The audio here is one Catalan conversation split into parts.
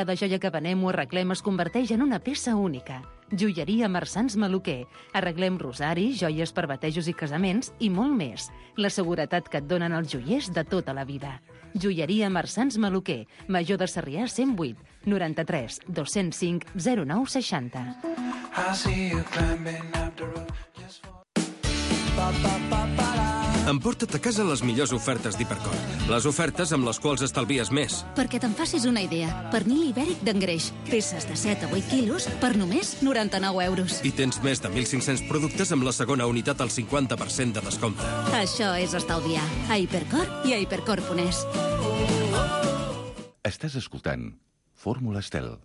Cada joia que venem o arreglem es converteix en una peça única. Joieria Marsans Maluquer. Arreglem rosaris, joies per batejos i casaments i molt més. La seguretat que et donen els joiers de tota la vida. Joieria Marsans Maluquer. Major de Sarrià 108 93 205 09 60. Emporta't a casa les millors ofertes d'Hipercor. Les ofertes amb les quals estalvies més. Perquè te'n facis una idea, pernil ibèric d'engreix, peces de 7 a 8 quilos per només 99 euros. I tens més de 1.500 productes amb la segona unitat al 50% de descompte. Això és estalviar. A Hipercor i a hipercor.es. Estàs escoltant Fórmula Estel,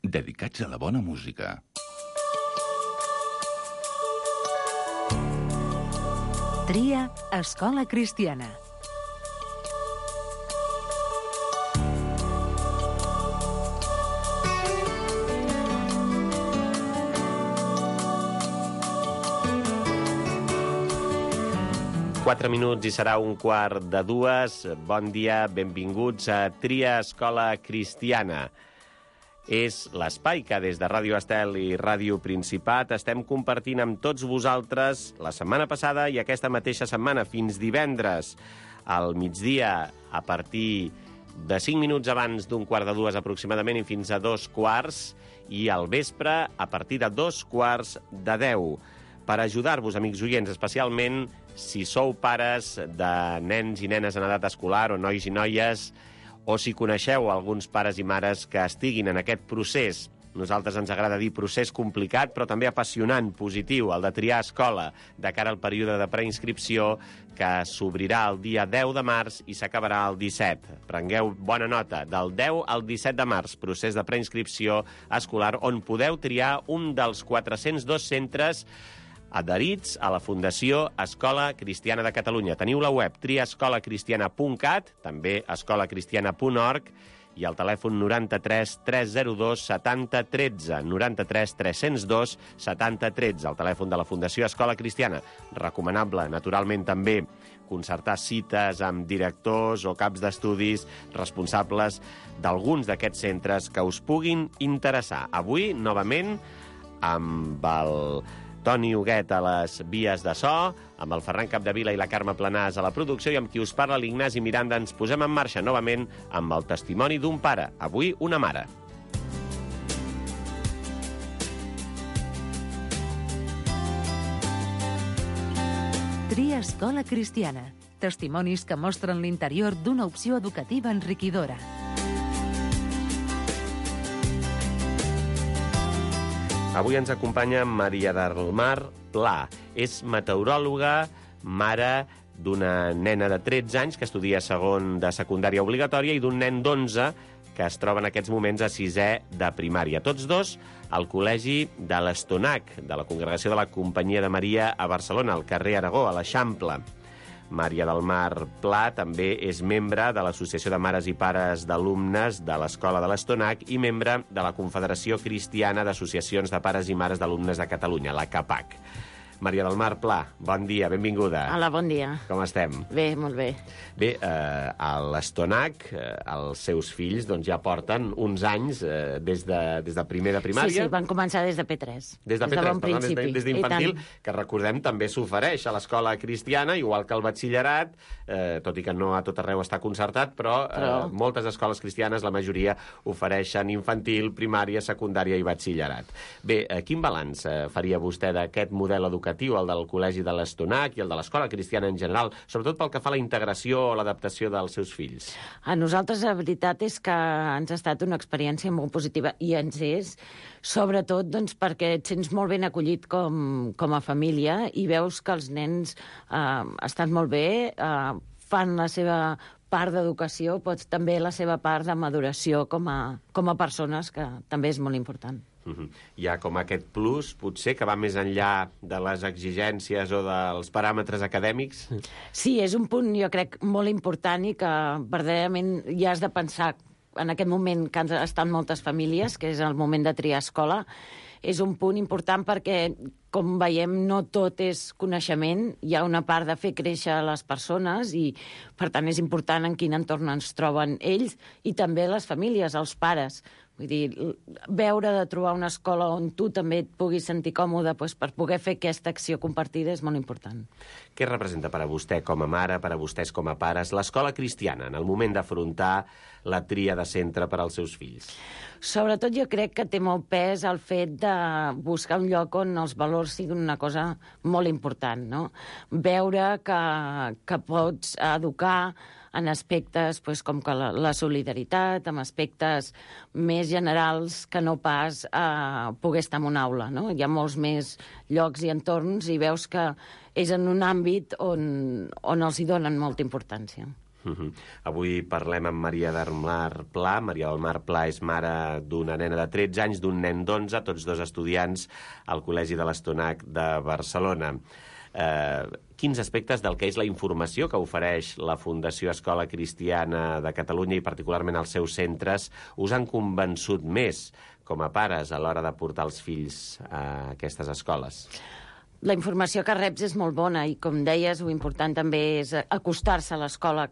dedicats a la bona música. Tria Escola Cristiana. Quatre minuts i serà 1:45. Bon dia, benvinguts a Tria Escola Cristiana. És l'espai que des de Ràdio Estel i Ràdio Principat estem compartint amb tots vosaltres la setmana passada i aquesta mateixa setmana, fins divendres, al migdia, a partir de 5 minuts abans d'1:45 aproximadament i fins a 2:15, i al vespre a partir de 2:45, per ajudar-vos, amics oients, especialment si sou pares de nens i nenes en edat escolar o nois i noies, o si coneixeu alguns pares i mares que estiguin en aquest procés. Nosaltres ens agrada dir procés complicat, però també apassionant, positiu, el de triar escola de cara al període de preinscripció que s'obrirà el dia 10 de març i s'acabarà el 17. Prengueu bona nota, del 10 al 17 de març, procés de preinscripció escolar, on podeu triar un dels 402 centres adherits a la Fundació Escola Cristiana de Catalunya. Teniu la web triaescolacristiana.cat, també escolacristiana.org, i el telèfon 93 302 70 13, 93 302 70 13, el telèfon de la Fundació Escola Cristiana. Recomanable, naturalment, també concertar cites amb directors o caps d'estudis responsables d'alguns d'aquests centres que us puguin interessar. Avui, novament, amb el Toni Huguet a les vies de so, amb el Ferran Capdevila i la Carme Planàs a la producció, i amb qui us parla l'Ignasi Miranda. Ens posem en marxa novament amb el testimoni d'un pare, avui una mare. Tria Escola Cristiana. Testimonis que mostren l'interior d'una opció educativa enriquidora. Avui ens acompanya Maria del Mar Pla. És meteoròloga, mare d'una nena de 13 anys que estudia segon de secundària obligatòria i d'un nen d'11 que es troba en aquests moments a 6è de primària. Tots dos al col·legi de l'Estonac, de la Congregació de la Companyia de Maria a Barcelona, al carrer Aragó, a l'Eixample. Maria del Mar Pla també és membre de l'Associació de Mares i Pares d'Alumnes de l'Escola de l'Estonac i membre de la Confederació Cristiana d'Associacions de Pares i Mares d'Alumnes de Catalunya, la CAPAC. Maria del Mar Pla, bon dia, benvinguda. Hola, bon dia. Com estem? Bé, molt bé. Bé, a l'Estonac, els seus fills doncs, ja porten uns anys des de primer de primària. Sí, van començar des de P3. Des de P3, bon principi. des d'infantil, que recordem també s'ofereix a l'escola cristiana, igual que el batxillerat, tot i que no a tot arreu està concertat, però moltes escoles cristianes, la majoria, ofereixen infantil, primària, secundària i batxillerat. Bé, quin balanç faria vostè d'aquest model educatiu, el del Col·legi de l'Estonac i el de l'Escola Cristiana en general, sobretot pel que fa a la integració o l'adaptació dels seus fills? A nosaltres la veritat és que ens ha estat una experiència molt positiva, i ens és, sobretot doncs, perquè et sents molt ben acollit com a família i veus que els nens estan molt bé, fan la seva part d'educació, però també la seva part de maduració com a persones, que també és molt important. Hi ha com aquest plus, potser, que va més enllà de les exigències o dels paràmetres acadèmics? Sí, és un punt, jo crec, molt important i que verdaderament ja has de pensar en aquest moment que estan moltes famílies, que és el moment de triar escola. És un punt important perquè, com veiem, no tot és coneixement, hi ha una part de fer créixer les persones i, per tant, és important en quin entorn ens troben ells i també les famílies, els pares, Vull dir, veure de trobar una escola on tu també et puguis sentir còmode per poder fer aquesta acció compartida és molt important. Què representa per a vostè com a mare, per a vostès com a pares, l'escola cristiana en el moment d'afrontar la tria de centre per als seus fills? Sobretot jo crec que té molt pes el fet de buscar un lloc on els valors siguin una cosa molt important, no? Veure que pots educar en aspectes com que la solidaritat, en aspectes més generals que no pas poder estar en una aula, no? Hi ha molts més llocs i entorns i veus que és en un àmbit on els hi donen molta importància. Avui parlem amb Maria del Mar Pla. Maria del Mar Pla és mare d'una nena de 13 anys, d'un nen d'11, tots dos estudiants al Col·legi de l'Estonac de Barcelona. Quins aspectes del que és la informació que ofereix la Fundació Escola Cristiana de Catalunya i particularment els seus centres us han convençut més com a pares a l'hora de portar els fills a aquestes escoles? La informació que reps és molt bona i, com deies, l'important també és acostar-se a l'escola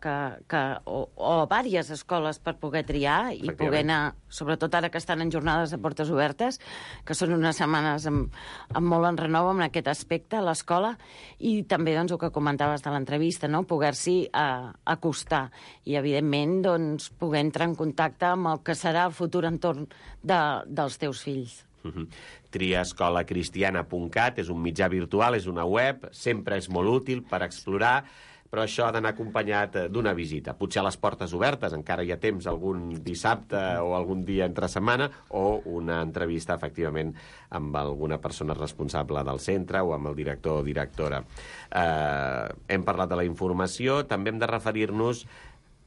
o a diverses escoles per poder triar i poder anar, sobretot ara que estan en jornades de portes obertes, que són unes setmanes amb molt enrenou en aquest aspecte a l'escola, i també el que comentaves de l'entrevista, no? Poder-s'hi acostar i, evidentment, poder entrar en contacte amb el que serà el futur entorn dels teus fills. Triaescolacristiana.cat és un mitjà virtual, és una web, sempre és molt útil per explorar, però això ha d'anar acompanyat d'una visita. Potser a les portes obertes, encara hi ha temps algun dissabte o algun dia entre setmana, o una entrevista, efectivament, amb alguna persona responsable del centre o amb el director o directora. Hem parlat de la informació, també hem de referir-nos,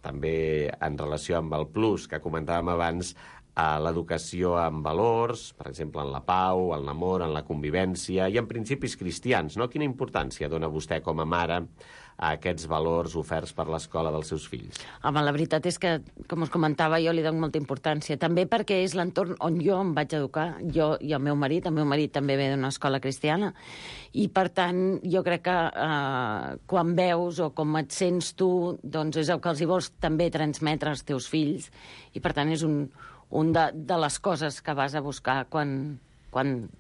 també en relació amb el plus que comentàvem abans, a l'educació en valors, per exemple, en la pau, en l'amor, en la convivència i en principis cristians, no? Quina importància dona vostè com a mare a aquests valors oferts per l'escola dels seus fills? Home, la veritat és que, com us comentava, jo li dono molta importància. També perquè és l'entorn on jo em vaig educar, jo i el meu marit també ve d'una escola cristiana, i per tant jo crec que quan veus o com et sents tu, doncs és el que els hi vols també transmetre als teus fills, i per tant és un de les coses que vas a buscar quan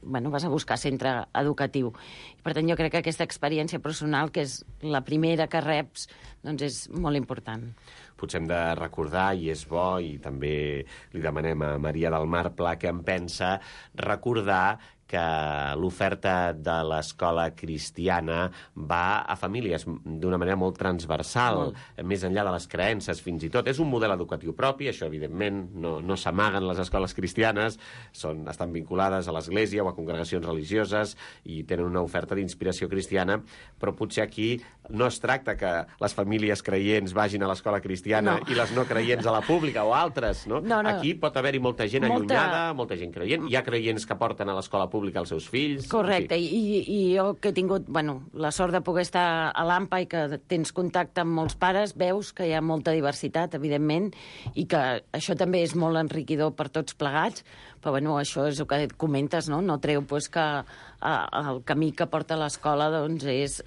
vas a buscar centre educatiu. I per tant, jo crec que aquesta experiència personal, que és la primera que reps, doncs és molt important. Potser hem de recordar, i és bo, i també li demanem a Maria del Mar Pla què en pensa, recordar que l'oferta de l'escola cristiana va a famílies d'una manera molt transversal, més enllà de les creences, fins i tot. És un model educatiu propi, això, evidentment, no s'amaguen les escoles cristianes, estan vinculades a l'església o a congregacions religioses i tenen una oferta d'inspiració cristiana, però potser aquí no es tracta que les famílies creients vagin a l'escola cristiana i les no creients a la pública o altres, no? Aquí pot haver-hi molta gent allunyada, molta gent creient. Hi ha creients que porten a l'escola pública als seus fills. Correcte, i jo que he tingut la sort de poder estar a l'AMPA i que tens contacte amb molts pares, veus que hi ha molta diversitat, evidentment, i que això també és molt enriquidor per tots plegats, però això és el que comentes, no treu que el camí que porta a l'escola és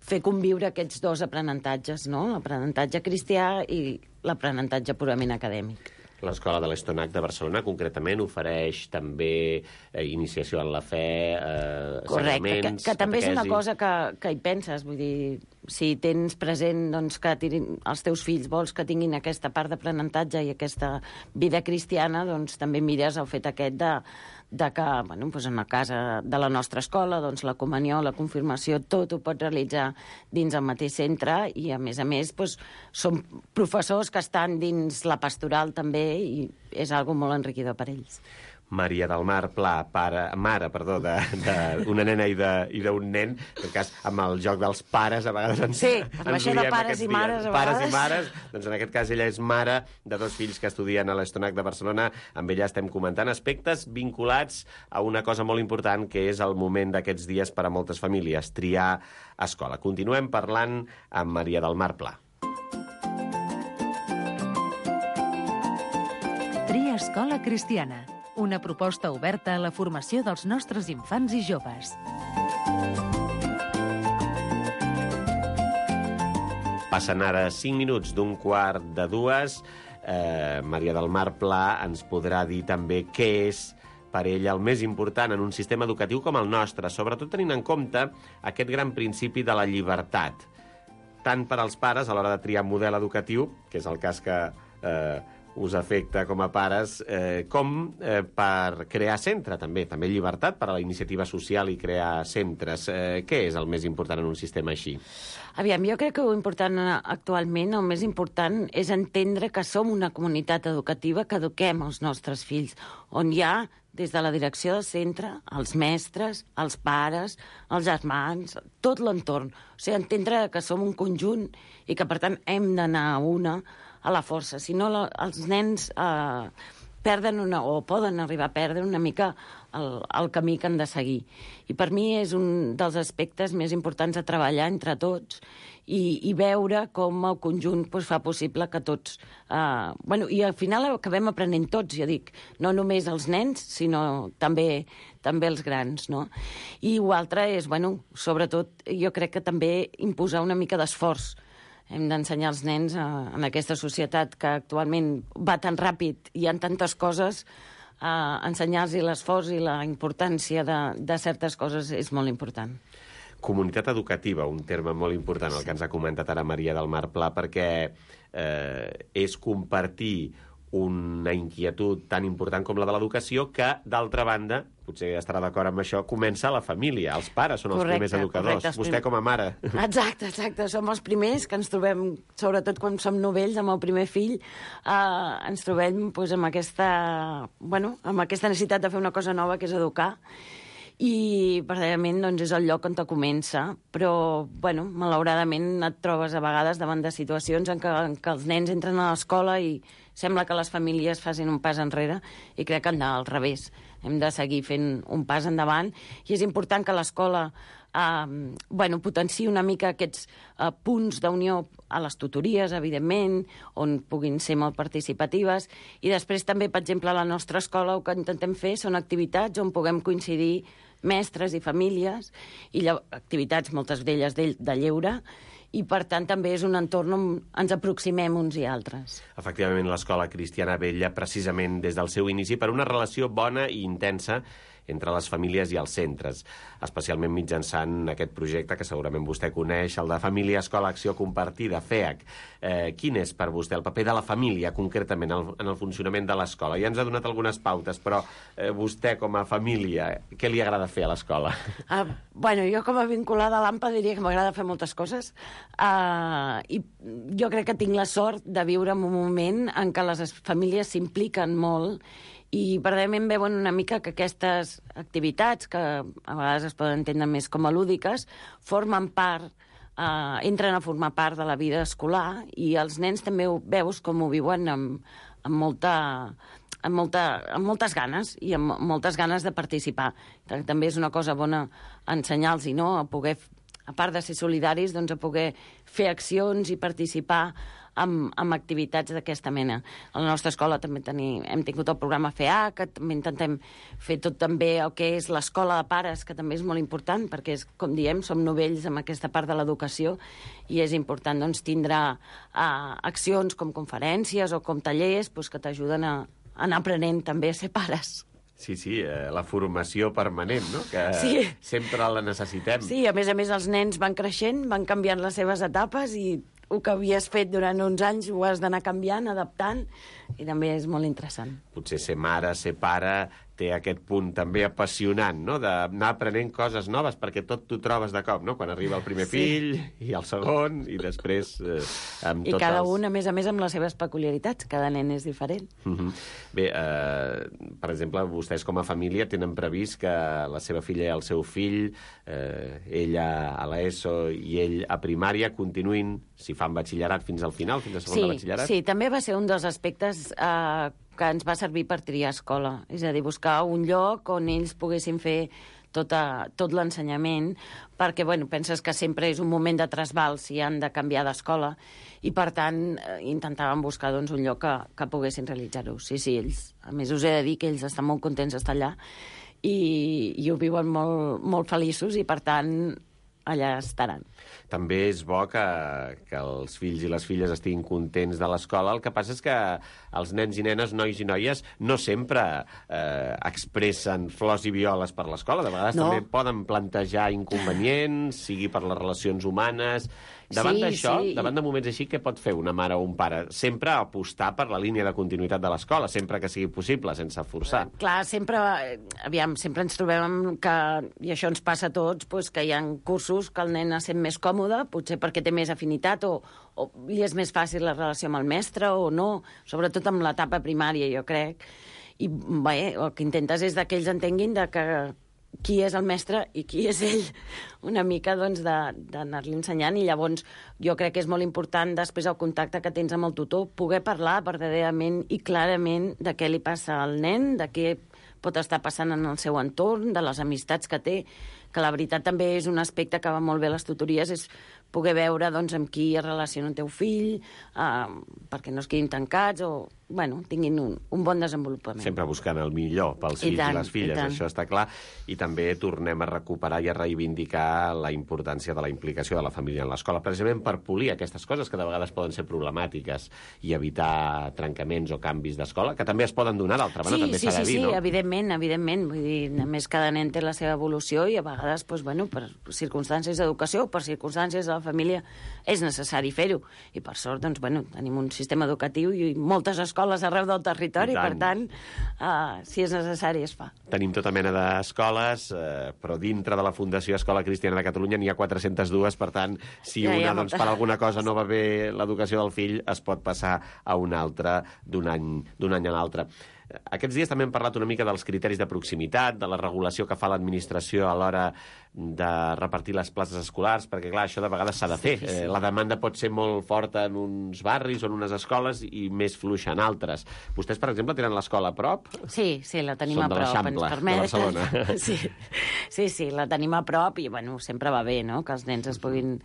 fer conviure aquests dos aprenentatges, no? L'aprenentatge cristià i l'aprenentatge purament acadèmic. L'Escola de l'Estonac de Barcelona, concretament, ofereix també iniciació en la fe, sagraments, que també és una cosa que hi penses. Vull dir, si tens present que els teus fills vols que tinguin aquesta part d'aprenentatge i aquesta vida cristiana, doncs també mires el fet aquest de que, en el cas de la nostra escola, la comunió, la confirmació, tot ho pots realitzar dins el mateix centre i, a més, són professors que estan dins la pastoral també i és algo molt enriquidor per ells. Maria del Mar Pla, mare d'una nena i d'un nen, en cas, amb el joc dels pares, a vegades ens això de pares i mares, a vegades. Pares i mares, doncs en aquest cas ella és mare de dos fills que estudien a l'Estonac de Barcelona. Amb ella estem comentant aspectes vinculats a una cosa molt important, que és el moment d'aquests dies per a moltes famílies, triar escola. Continuem parlant amb Maria del Mar Pla. Tria Escola Cristiana, una proposta oberta a la formació dels nostres infants i joves. Passen ara 5 minuts d'1:15. Maria del Mar Pla ens podrà dir també què és per ella el més important en un sistema educatiu com el nostre, sobretot tenint en compte aquest gran principi de la llibertat, tant per als pares a l'hora de triar model educatiu, que és el cas que us afecta com a pares, com per crear centre, també llibertat per a la iniciativa social i crear centres. Què és el més important en un sistema així? Aviam, jo crec que el important actualment, el més important, és entendre que som una comunitat educativa que eduquem els nostres fills, on hi ha, des de la direcció del centre, els mestres, els pares, els germans, tot l'entorn. O sigui, entendre que som un conjunt i que, per tant, hem d'anar a la força. Si no, els nens perden o poden arribar a perdre una mica el camí que han de seguir. I per mi és un dels aspectes més importants a treballar entre tots i veure com el conjunt fa possible que tots... I al final acabem aprenent tots, jo dic, no només els nens, sinó també els grans, no? I l'altre és, sobretot, jo crec que també imposar una mica d'esforç. Hem d'ensenyar als nens en aquesta societat que actualment va tan ràpid i hi ha tantes coses, ensenyar-los l'esforç i la importància de certes coses és molt important. Comunitat educativa, un terme molt important, el que ens ha comentat ara Maria del Mar Pla, perquè és compartir una inquietud tan important com la de l'educació que, d'altra banda, potser estarà d'acord amb això, comença a la família. Els pares són els primers educadors. Vostè com a mare. Exacte. Som els primers que ens trobem, sobretot quan som novells, amb el primer fill, ens trobem amb aquesta necessitat de fer una cosa nova, que és educar. I, verdaderament, és el lloc on te comença. Però, malauradament, et trobes a vegades davant de situacions en què els nens entren a l'escola i sembla que les famílies facin un pas enrere, i crec que han d'anar al revés. Hem de seguir fent un pas endavant, i és important que l'escola potenciï una mica aquests punts d'unió a les tutories, evidentment, on puguin ser molt participatives, i després també, per exemple, a la nostra escola el que intentem fer són activitats on puguem coincidir mestres i famílies, i activitats, moltes d'elles de lleure, i, per tant, també és un entorn on ens aproximem uns i altres. Efectivament, l'escola cristiana vetlla precisament des del seu inici per una relació bona i intensa entre les famílies i els centres, especialment mitjançant aquest projecte que segurament vostè coneix, el de Família Escola Acció Compartida, FEAC. Quin és per vostè el paper de la família, concretament, en el funcionament de l'escola? Ja ens ha donat algunes pautes, però vostè, com a família, què li agrada fer a l'escola? Jo, com a vinculada a l'AMPA, diria que m'agrada fer moltes coses, i jo crec que tinc la sort de viure en un moment en què les famílies s'impliquen molt, i verdaderament veuen una mica que aquestes activitats, que a vegades es poden entendre més com a lúdiques, formen part, entren a formar part de la vida escolar, i els nens també veus com ho viuen amb moltes ganes, i amb moltes ganes de participar. També és una cosa bona ensenyar-los, no? A part de ser solidaris, a poder fer accions i participar amb activitats d'aquesta mena. A la nostra escola també hem tingut el programa FEA, que també intentem fer tot també el que és l'escola de pares, que també és molt important, perquè, com diem, som novells amb aquesta part de l'educació, i és important tindre accions com conferències o com tallers que t'ajuden a anar aprenent també a ser pares. Sí, la formació permanent, no? Que sempre la necessitem. Sí, a més, els nens van creixent, van canviant les seves etapes, i el que havies fet durant uns anys ho has d'anar canviant, adaptant, i també és molt interessant. Potser ser mare, ser pare, té aquest punt també apassionant, no?, d'anar aprenent coses noves, perquè tot t'ho trobes de cop, no?, quan arriba el primer fill, i el segon, i després amb tots els... I cada un, a més, amb les seves peculiaritats. Cada nen és diferent. Bé, per exemple, vostès com a família tenen previst que la seva filla i el seu fill, ella a l'ESO i ell a primària, continuïn, si fan batxillerat, fins al final, fins a segon de batxillerat? Sí, també va ser un dels aspectes que ens va servir per triar escola. És a dir, buscar un lloc on ells poguessin fer tot l'ensenyament, perquè, penses que sempre és un moment de trasbal si han de canviar d'escola, i, per tant, intentàvem buscar un lloc que poguessin realitzar-ho. Sí, ells. A més, us he de dir que ells estan molt contents d'estar allà, i ho viuen molt, molt feliços, i, per tant, allà estaran. També és bo que els fills i les filles estiguin contents de l'escola. El que passa és que els nens i nenes, nois i noies, no sempre expressen flors i violes per l'escola. De vegades també poden plantejar inconvenients, sigui per les relacions humanes. Davant d'això, davant de moments així, què pot fer una mare o un pare? Sempre apostar per la línia de continuïtat de l'escola, sempre que sigui possible, sense forçar. Clar, sempre ens trobem que, i això ens passa a tots, doncs, que hi ha cursos que el nen es sent més còmode, potser perquè té més afinitat o li és més fàcil la relació amb el mestre o no, sobretot amb l'etapa primària, jo crec. I bé, el que intentes és que ells entenguin que qui és el mestre i qui és ell, una mica doncs, d'anar-li ensenyant, i llavors jo crec que és molt important, després el contacte que tens amb el tutor, poder parlar verdaderament i clarament de què li passa al nen, de què pot estar passant en el seu entorn, de les amistats que té, que la veritat també és un aspecte que va molt bé a les tutories, és poder veure doncs, amb qui es relaciona el teu fill, perquè no es quedin tancats o tinguin un bon desenvolupament. Sempre buscant el millor pels fills i les filles, això està clar. I també tornem a recuperar i a reivindicar la importància de la implicació de la família en l'escola, precisament per polir aquestes coses que de vegades poden ser problemàtiques i evitar trencaments o canvis d'escola, que també es poden donar, d'altra banda, també s'ha de dir, no? Sí, evidentment. Vull dir, només cada nen té la seva evolució i a vegades, per circumstàncies d'educació o per circumstàncies de la família, és necessari fer-ho. I per sort, tenim un sistema educatiu i moltes escoles arreu del territori, per tant, si és necessari, es fa. Tenim tota mena d'escoles, però dintre de la Fundació Escola Cristiana de Catalunya n'hi ha 402, per tant, si una per alguna cosa no va bé l'educació del fill, es pot passar a una altra d'un any a l'altre. Aquests dies també hem parlat una mica dels criteris de proximitat, de la regulació que fa l'administració a l'hora de repartir les places escolars, perquè, clar, això de vegades s'ha de fer. La demanda pot ser molt forta en uns barris o en unes escoles i més fluixa en altres. Vostès, per exemple, tenen l'escola a prop? Sí, la tenim a prop. Són de l'Eixample, de Barcelona. Sí, la tenim a prop i, sempre va bé, no?, que els nens es puguin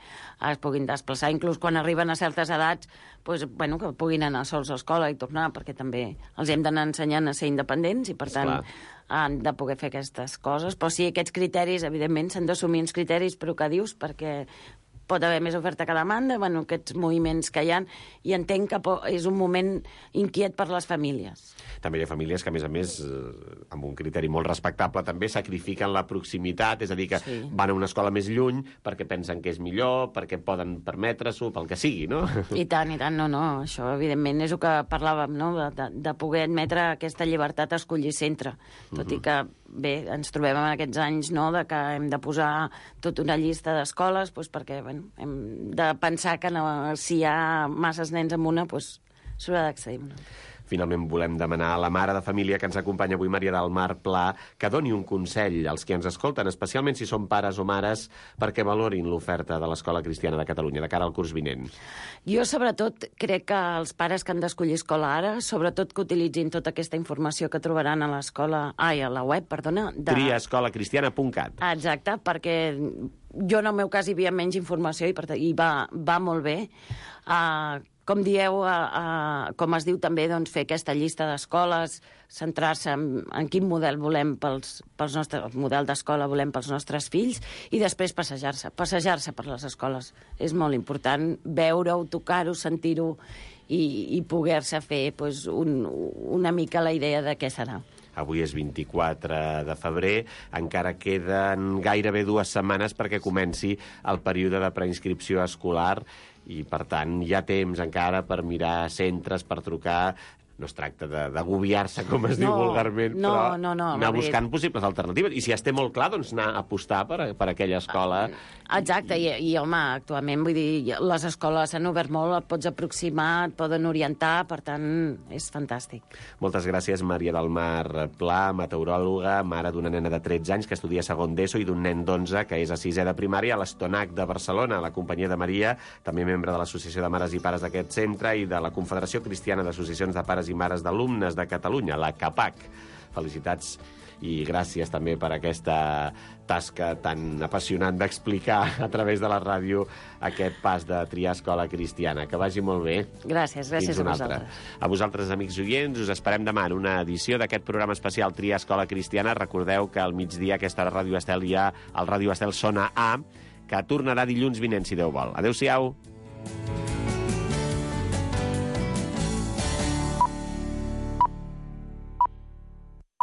desplaçar, inclús quan arriben a certes edats, que puguin anar sols a l'escola i tornar, perquè també els hem d'anar ensenyant a ser independents i, per tant, han de poder fer aquestes coses. Però sí, aquests criteris, evidentment, s'han d'assumir uns criteris, però que dius, perquè pot haver més oferta que demanda, aquests moviments que hi ha, i entenc que és un moment inquiet per les famílies. També hi ha famílies que, a més, amb un criteri molt respectable, també sacrifiquen la proximitat, és a dir, que van a una escola més lluny perquè pensen que és millor, perquè poden permetre-s'ho, pel que sigui, no? I tant, no. Això, evidentment, és el que parlàvem, no?, de poder admetre aquesta llibertat a escollir centre. Tot i que, bé, ens trobem en aquests anys, no?, de que hem de posar tota una llista d'escoles, perquè, hem de pensar que si hi ha masses nens en una, s'haurà d'accedir una. Finalment volem demanar a la mare de família que ens acompanya avui, Maria del Mar Pla, que doni un consell als que ens escolten, especialment si són pares o mares, perquè valorin l'oferta de l'Escola Cristiana de Catalunya de cara al curs vinent. Jo, sobretot, crec que els pares que han d'escollir escola ara, sobretot que utilitzin tota aquesta informació que trobaran a la web, triaescolacristiana.cat. Exacte, perquè jo en el meu cas hi havia menys informació i va molt bé. Com dieu, com es diu també, fer aquesta llista d'escoles, centrar-se en quin model volem el model d'escola volem pels nostres fills, i després passejar-se per les escoles. És molt important veure-ho, tocar-ho, sentir-ho i poder-se fer una mica la idea de què serà. Avui és 24 de febrer, encara queden gairebé 2 setmanes perquè comenci el període de preinscripció escolar i, per tant, hi ha temps encara per mirar centres, per trucar. No es tracta d'agobiar-se, com es diu vulgarment, però anar buscant possibles alternatives. I si ja té molt clar, doncs anar a apostar per aquella escola. Exacte, i home, actualment, vull dir, les escoles s'han obert molt, et pots aproximar, et poden orientar, per tant, és fantàstic. Moltes gràcies, Maria del Mar Pla, meteoròloga, mare d'una nena de 13 anys que estudia segon d'ESO i d'un nen d'11 que és a 6è de primària a l'Estonac de Barcelona, a la companyia de Maria, també membre de l'Associació de Mares i Pares d'aquest centre i de la Confederació Cristiana d'Associacions de Pares i Mares d'Alumnes de Catalunya, la CAPAC. Felicitats i gràcies també per aquesta tasca tan apassionant d'explicar a través de la ràdio aquest pas de triar escola cristiana. Que vagi molt bé. Gràcies a vosaltres. A vosaltres, amics oients, us esperem demà en una edició d'aquest programa especial Triar Escola Cristiana. Recordeu que al migdia, a aquesta hora, Ràdio Estel, hi ha el Ràdio Estel Sona A, que tornarà dilluns vinent, si Déu vol. Adéu-siau.